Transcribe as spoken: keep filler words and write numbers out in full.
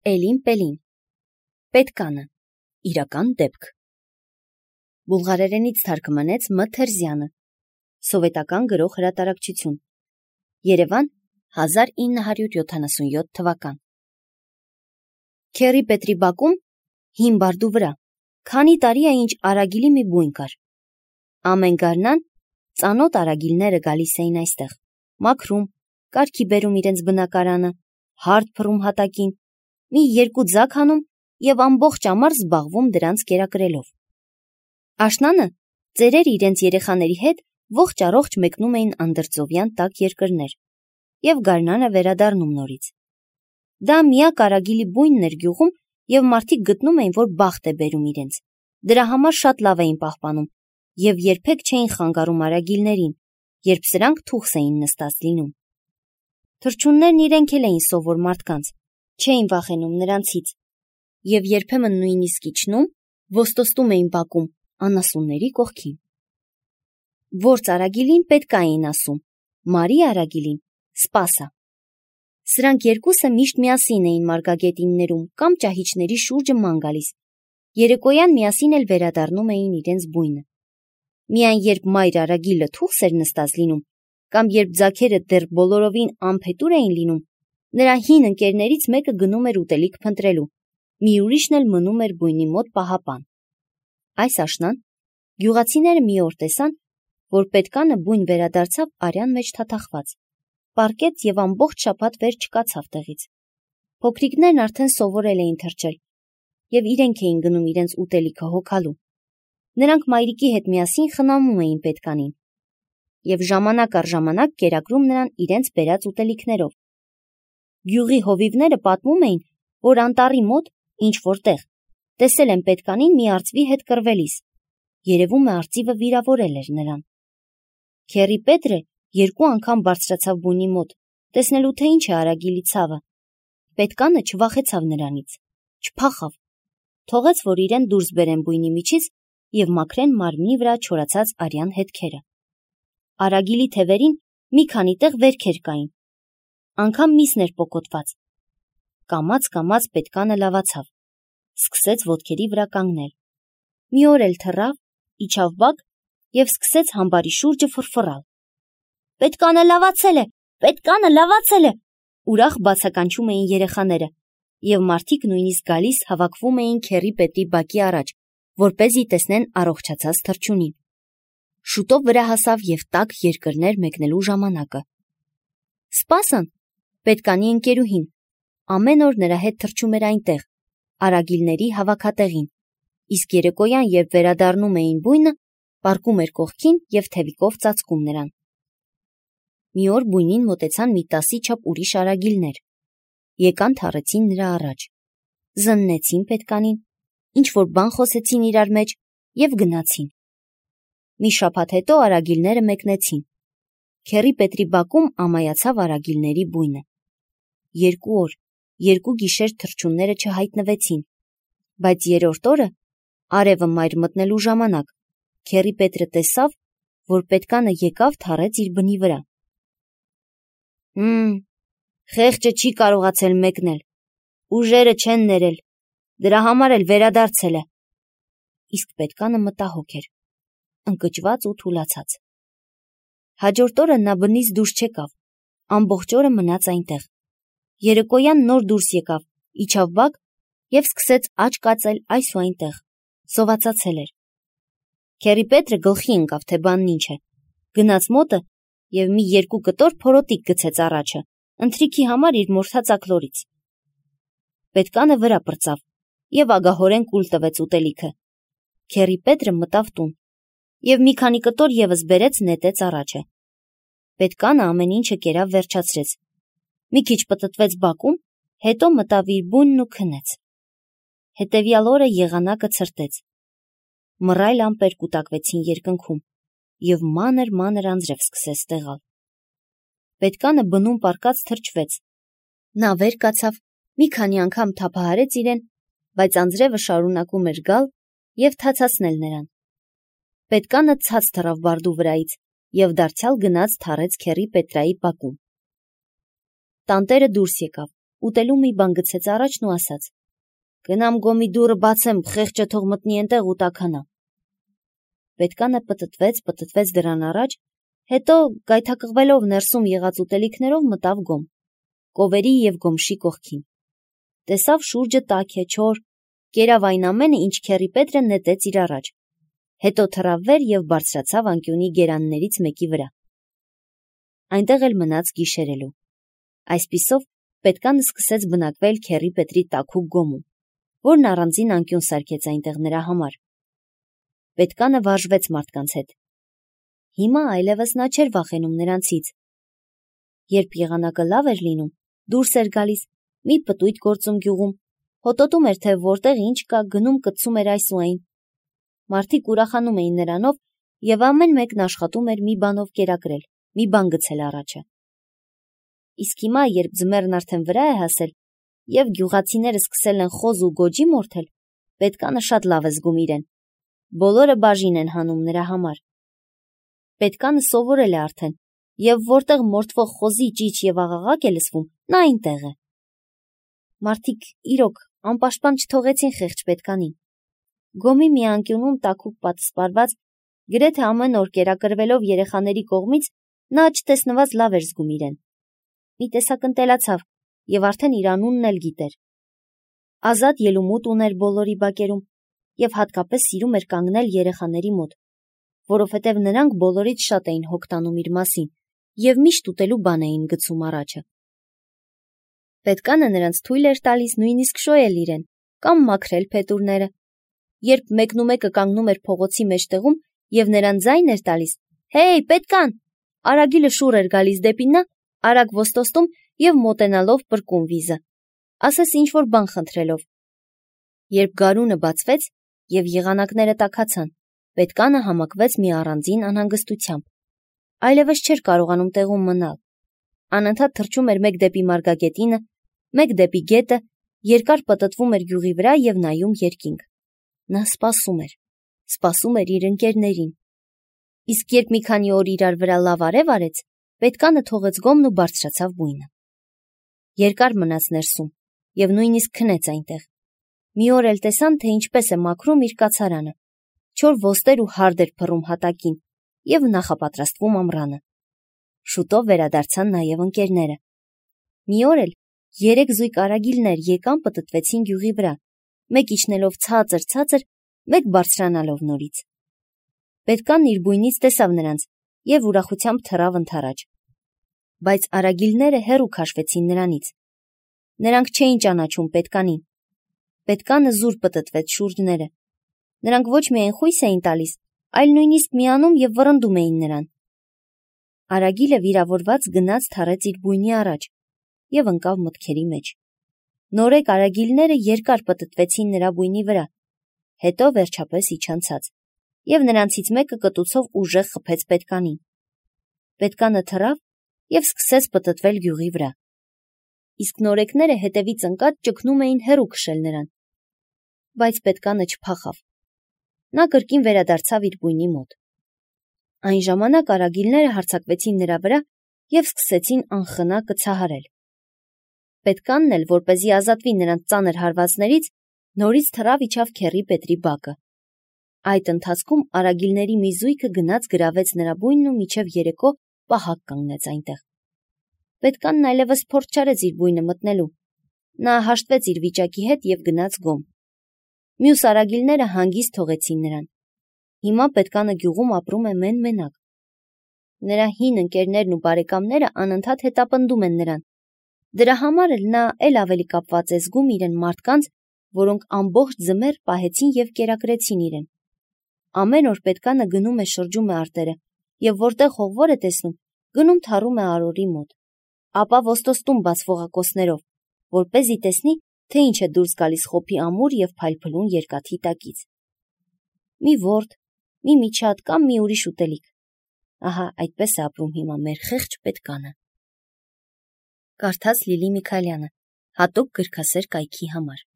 Էլին Պելին, Պետկանը, իրական դեպք։ Բուլղարերենից թարգմանեց Մ. Թերզյանը, Սովետական գրող հրատարակչություն, Երևան, հազար ինը հարյուր յոթանասունյոթ թվական։ Քերի Պետրի բակում, հին բարդու վրա, քանի տարի է ինչ արագիլի մի բույն կար։ Ամեն գարնան ծանոթ արագիլները գալիս էին այստեղ, մաքրում, կարգի բերում իրենց բնակարանը, հարդ փռում հատակին, մի երկու ձագ հանում և ամբողջ ամառ զբաղվում դրանց կերակրելով։ Աշնանը ծերերը իրենց երեխաների հետ ողջ առողջ մեկնում էին անդրծովյան տաք երկրներ և գարնանը վերադառնում նորից։ Դա միակ արագիլի բույնն էր գյուղում և մարդիկ գտնում էին, որ բախտ է բերում իրենց, դրա համար շատ լավ էին պահպանում և երբեք չէին խանգարում արագիլներին, երբ սրանք թուխս էին նստած լինում։ Թռչուններն իրենք էլ էին սովոր մարդկանց, չէին վախենում նրանցից և երբեմն նույնիսկ իջնում, ոստոստում էին բակում անասունների կողքին։ Որց արագիլին Պետկա էին ասում, Մարի արագիլին Սպասա։ Սրանք երկուսը միշտ միասին էին մարգագետիններում կամ ճահիճների շուրջը ման գալիս, երեկոյան միասին էլ վերադառնում էին իրենց բույնը։ Միայն երբ մայր արագիլը թուխս էր նստած լինում, կամ երբ ձագերը դեռ բոլորովին անփետուր էին լինում, նրա հին ընկերներից մեկը գնում էր ուտելիք փնտրելու, մի ուրիշն էլ մնում էր բույնի մոտ պահապան։ Այս աշնան գյուղացիները մի օր տեսան, որ Պետկանը բույն վերադարձավ արյան մեջ թաթախված, պառկեց և ամբողջ շաբաթ վեր չկացավ տեղից։ Փոքրիկներն արդեն սովորել էին թռչել և իրենք էին գնում իրենց ուտելիքը հոգալու։ Նրանք մայրիկի հետ միասին խնամում էին Պետկանին և ժամանակ առ ժամանակ կերակրում նրան իրենց բերած ուտելիքներով։ Գյուղի հովիվները պատմում էին, որ անտառի մոտ, ինչ-որ տեղ, տեսել են Պետկանին մի արծվի հետ կռվելիս, երևում է արծիվը վիրավորել էր նրան։ Քերի Պետրը երկու անգամ բարձրացավ բույնի մոտ, տեսնելու թե ինչ է արագիլի ցավը։ Պետկանը չվախեցավ նրանից, չփախավ, թողեց, որ իրեն դուրս բերեն բույնի միջից և մաքրեն մարմնի վրա չորացած արյան հետքերը։ Արագիլի թևերին մի քանի տեղ վերքեր կային, անգամ միսն էր պոկոտված։ Կամաց-կամաց Պետկանը լավացավ, սկսեց ոտքերի վրա կանգնել։ Մի օր էլ թռավ, իջավ բակ և սկսեց համբարի շուրջը ֆռֆռալ։ Պետկանը լավացել է, Պետկանը լավացել է, ուրախ բացականչում էին երեխաները, և մարդիկ նույնիսկ գալիս հավաքվում էին Քերի Պետրի բակի առաջ, որպեսզի տեսնեն առողջացած թռչունին։ Շուտով վրա հասավ և տաք երկրներ մեկնելու ժամանակը։ Սպասան, Պետկանի ընկերուհին, ամեն օր նրա հետ թռչում էր այնտեղ, արագիլների հավաքատեղին, իսկ երեկոյան, երբ վերադառնում էին բույնը, պառկում էր կողքին և թևիկով ծածկում նրան։ Մի օր բույնին մոտեցան մի տասի չափ ուրիշ արագիլներ, եկան թռեցին նրա առաջ, զննեցին Պետկանին, ինչ-որ բան խոսեցին իրար մեջ և գնացին։ Մի շաբաթ հետո արագիլները մեկնեցին։ Քերի Պետրի բակում ամայացավ արագիլների բույնը։ Երկու օր, երկու գիշեր թռչունները չհայտնվեցին, բայց երրորդ օրը, արևը մայր մտնելու ժամանակ, Քերի Պետրը տեսավ, որ Պետկանը եկավ թռեց իր բնի վրա։ Հմ, խեղճը չի կարողացել մեկնել, ուժերը չեն ներել, դրա համար էլ վերադարձել է։ Իսկ Պետկանը մտահոգ էր, ընկճված ու թուլացած։ Հաջորդ օրը նա բնից դուրս չեկավ, ամբողջ օրը մնաց այնտեղ։ Երեկոյան նոր դուրս եկավ, իջավ բակ և սկսեց աջ կածել այս ու այնտեղ, սովածացել էր։ Քերի Պետրը գլխի ընկավ, թե բանն ինչ է, գնաց մոտը և մի երկու կտոր փորոտիք գցեց առաջը, ընթրիքի համար իր մորթած աքլորից։ Պետկանը վրա պրծավ և ագահորեն կուլ տվեց ուտելիքը։ Քերի Պետրը մտավ տուն և մի քանի կտոր ևս բերեց նետեց առաջը։ Պետկանը ամեն ինչը կերավ վերջացրեց, մի քիչ պտտվեց բակում, հետո մտավ իր բույնն ու քնեց։ Հետևյալ օրը եղանակը ցրտեց։ Մռայլ ամպեր կուտակվեցին երկնքում և մանր-մանր անձրև սկսեց տեղալ։ Պետկանը բնում պառկած թրջվեց։ Նա վեր կացավ, մի քանի անգամ թափահարեց իրեն, բայց անձրևը շարունակում էր գալ և թացացնել նրան։ Պետկանը ցած թռավ բարդու վրայից և դարձյալ գնաց թռեց Քերի Պետրայի բակում։ Տանտերը դուրս եկավ, ուտելու մի բան գցեց առաջն ու ասաց. «Գնամ գոմի դուռը բացեմ, խեղճը թող մտնի այնտեղ ու տաքանա»։ Պետքանը պտտվեց, պտտվեց դրան առաջ, հետո գայթակղվելով ներսում եղած ուտելիքներով մտավ գոմ, կովերի և գոմշի կողքին։ Տեսավ շուրջը տաք է, չոր, կերավ այն ամենը, ինչ քեռի Պետրը նետեց իր առաջ, հետո թռավ վեր և բարձրացավ անկյունի գերաններից մեկի վրա։ Այնտեղ էլ մնաց գիշերելու։ Այսպիսով պետքանը սկսեց բնակվել քեռի Պետրի տաքուկ գոմում, որն առանձին անկյուն սարքեց այնտեղ նրա համար։ Պետքանը վարժվեց մարդկանց հետ։ Հիմա այլևս նա չէր վախենում նրանցից։ Երբ եղանակը լավ էր լինում, դուրս էր գալիս, մի պտույտ գործում գյուղում, հոտոտում էր, թե որտեղ ինչ կա, գնում կծում էր այս ու այն։ Մարդիկ ուրախանում էին նրանով և ամեն մեկն աշխատում էր մի բանով կերակրել, մի բան գցել առաջը։ Իսկ հիմա, երբ ձմեռն արդեն վրա է հասել և գյուղացիները սկսել են խոզ ու գոջի մորթել, պետքանը շատ լավ է զգում իրեն։ Բոլորը բաժին են հանում նրա համար։ Պետքանը սովորել է արդեն, և որտեղ մորթվող խոզի ճիչ և աղաղակ է լսվում, նա այնտեղ է։ Մարդիկ իրոք անպաշտպան չթողեցին խեղճ պետքանին։ Գոմի մի անկյունում տաքուկ պատսպարված, գրեթե ամեն օր կերակրվելով երեխաների կողմից, նա չտեսնված լավ էր զգում իրեն։ Մի տեսակ ընտելացավ և արդեն իր անունն էլ գիտեր։ Ազատ ելումուտ ուներ բոլորի բակերում և հատկապես սիրում էր կանգնել երեխաների մոտ, որովհետև նրանք բոլորից շատ էին հոգ տանում իր մասին և միշտ ուտելու բան էին գցում առաջը։ Պետքանը նրանց թույլ էր տալիս նույնիսկ շոյել իրեն կամ մաքրել փետուրները։ Երբ մեկն ու մեկը կանգնում էր փողոցի մեջտեղում և նրան ձայն էր տալիս. «Հեյ, պետքան», արագիլը շուռ էր գալիս դեպի նա, արագ ոստոստում և մոտենալով պրկում վիզը, ասես ինչ-որ բան խնդրելով։ Երբ գարունը բացվեց և եղանակները տաքացան, պետքանը համակվեց մի առանձին անհանգստությամբ։ Այլևս չէր կարողանում տեղում մնալ։ Անընդհատ թռչում էր մեկ դեպի մարգագետինը, մեկ դեպի գետը, երկար պտտվում էր գյուղի վրա և նայում երկինք։ Նա սպասում էր, սպասում էր իր ընկերներին։ Իսկ երբ մի քանի օր իրար վրա լավ արև արեց, պետքանը թողեց գոմն ու բարձրացավ բույնը։ Երկար մնաց ներսում և նույնիսկ քնեց այնտեղ։ Մի օր էլ տեսան, թե ինչպես է մաքրում իր կացարանը, չոր ոստեր ու հարդ էր փռում հատակին և նախապատրաստվում ամռանը։ Շուտով վերադարձան նաև ընկերները։ Մի օր էլ երեք զույգ արագիլներ եկան պտտվեցին գյուղի վրա, մեկ իջնելով ցածր-ցածր, մեկ բարձրանալով նորից։ Պետքան իր բույնից տեսավ նրանց և ուրախությամբ թռավ ընդառաջ։ Բայց արագիլները հեռու քաշվեցին նրանից։ Նրանք չէին ճանաչում պետկանին։ Պետքանը զուր պտտվեց շուրջները։ Նրանք ոչ միայն խույս էին տալիս, այլ նույնիսկ միանում և վռնդում էին նրան։ Արագիլը վիրավորված գնաց թռեց իր բույնի առաջ և ընկավ մտքերի մեջ։ Նորեկ արագիլները երկար պտտվեցին նրա բույնի վրա, հետո վերջապես իջան ցած, և նրանցից մեկը կտուցով ուժեղ խփեց պետկանին։ Պետքանը թռավ և սկսեց պտտվել գյուղի վրա։ Իսկ նորեկները հետևից ընկած ճգնում էին հեռու քշել նրան։ Բայց պետքանը չփախավ։ Նա կրկին վերադարձավ իր բույնի մոտ։ Այն ժամանակ արագիլները հարձակվեցին նրա վրա և սկսեցին անխնա կցահարել։ Պետքանն էլ, որպեսզի ազատվի նրանց ծանր հարվածներից, նորից թռավ իջավ քեռի Պետրի բակը։ Այդ ընթացքում արագիլների մի զույգը գնաց գրավեց նրա բույնն ու մինչև երեկո պահակ կանգնեց այնտեղ։ Պետքանն այլևս փորձ չարեց իր բույնը մտնելու։ Նա հաշտվեց իր վիճակի հետ և գնաց գոմ։ Մյուս արագիլները հանգիստ թողեցին նրան։ Հիմա պետքանը գյուղում ապրում է մեն-մենակ։ Նրա հին ընկերներն ու բարեկամները անընդհատ հետապնդում են նրան։ Դրա համար էլ նա էլ ավելի կապված է զգում իրեն մարդկանց, որոնք ամբողջ ձմեռ պահեցին և կերակրեցին իրեն։ Ամեն օր պետքանը գնում է շրջում է արտերը և որտեղ հողվոր է տեսնում, գնում թառում է արորի մոտ, ապա ոստոստում բաց ողակոցներով, որպեսզի տեսնի, թե ինչ է դուրս գալիս խոփի ամուր և փայլփլուն երկաթի տակից։ Մի ворդ, մի միջատ կամ մի ուրիշ ուտելիք։ Ահա այդպես է ապրում հիմա մեր խեղճ պետքանը։ Կարդաց Լիլի Միքայելյանը, հատուկ գրքասեր կայքի համար։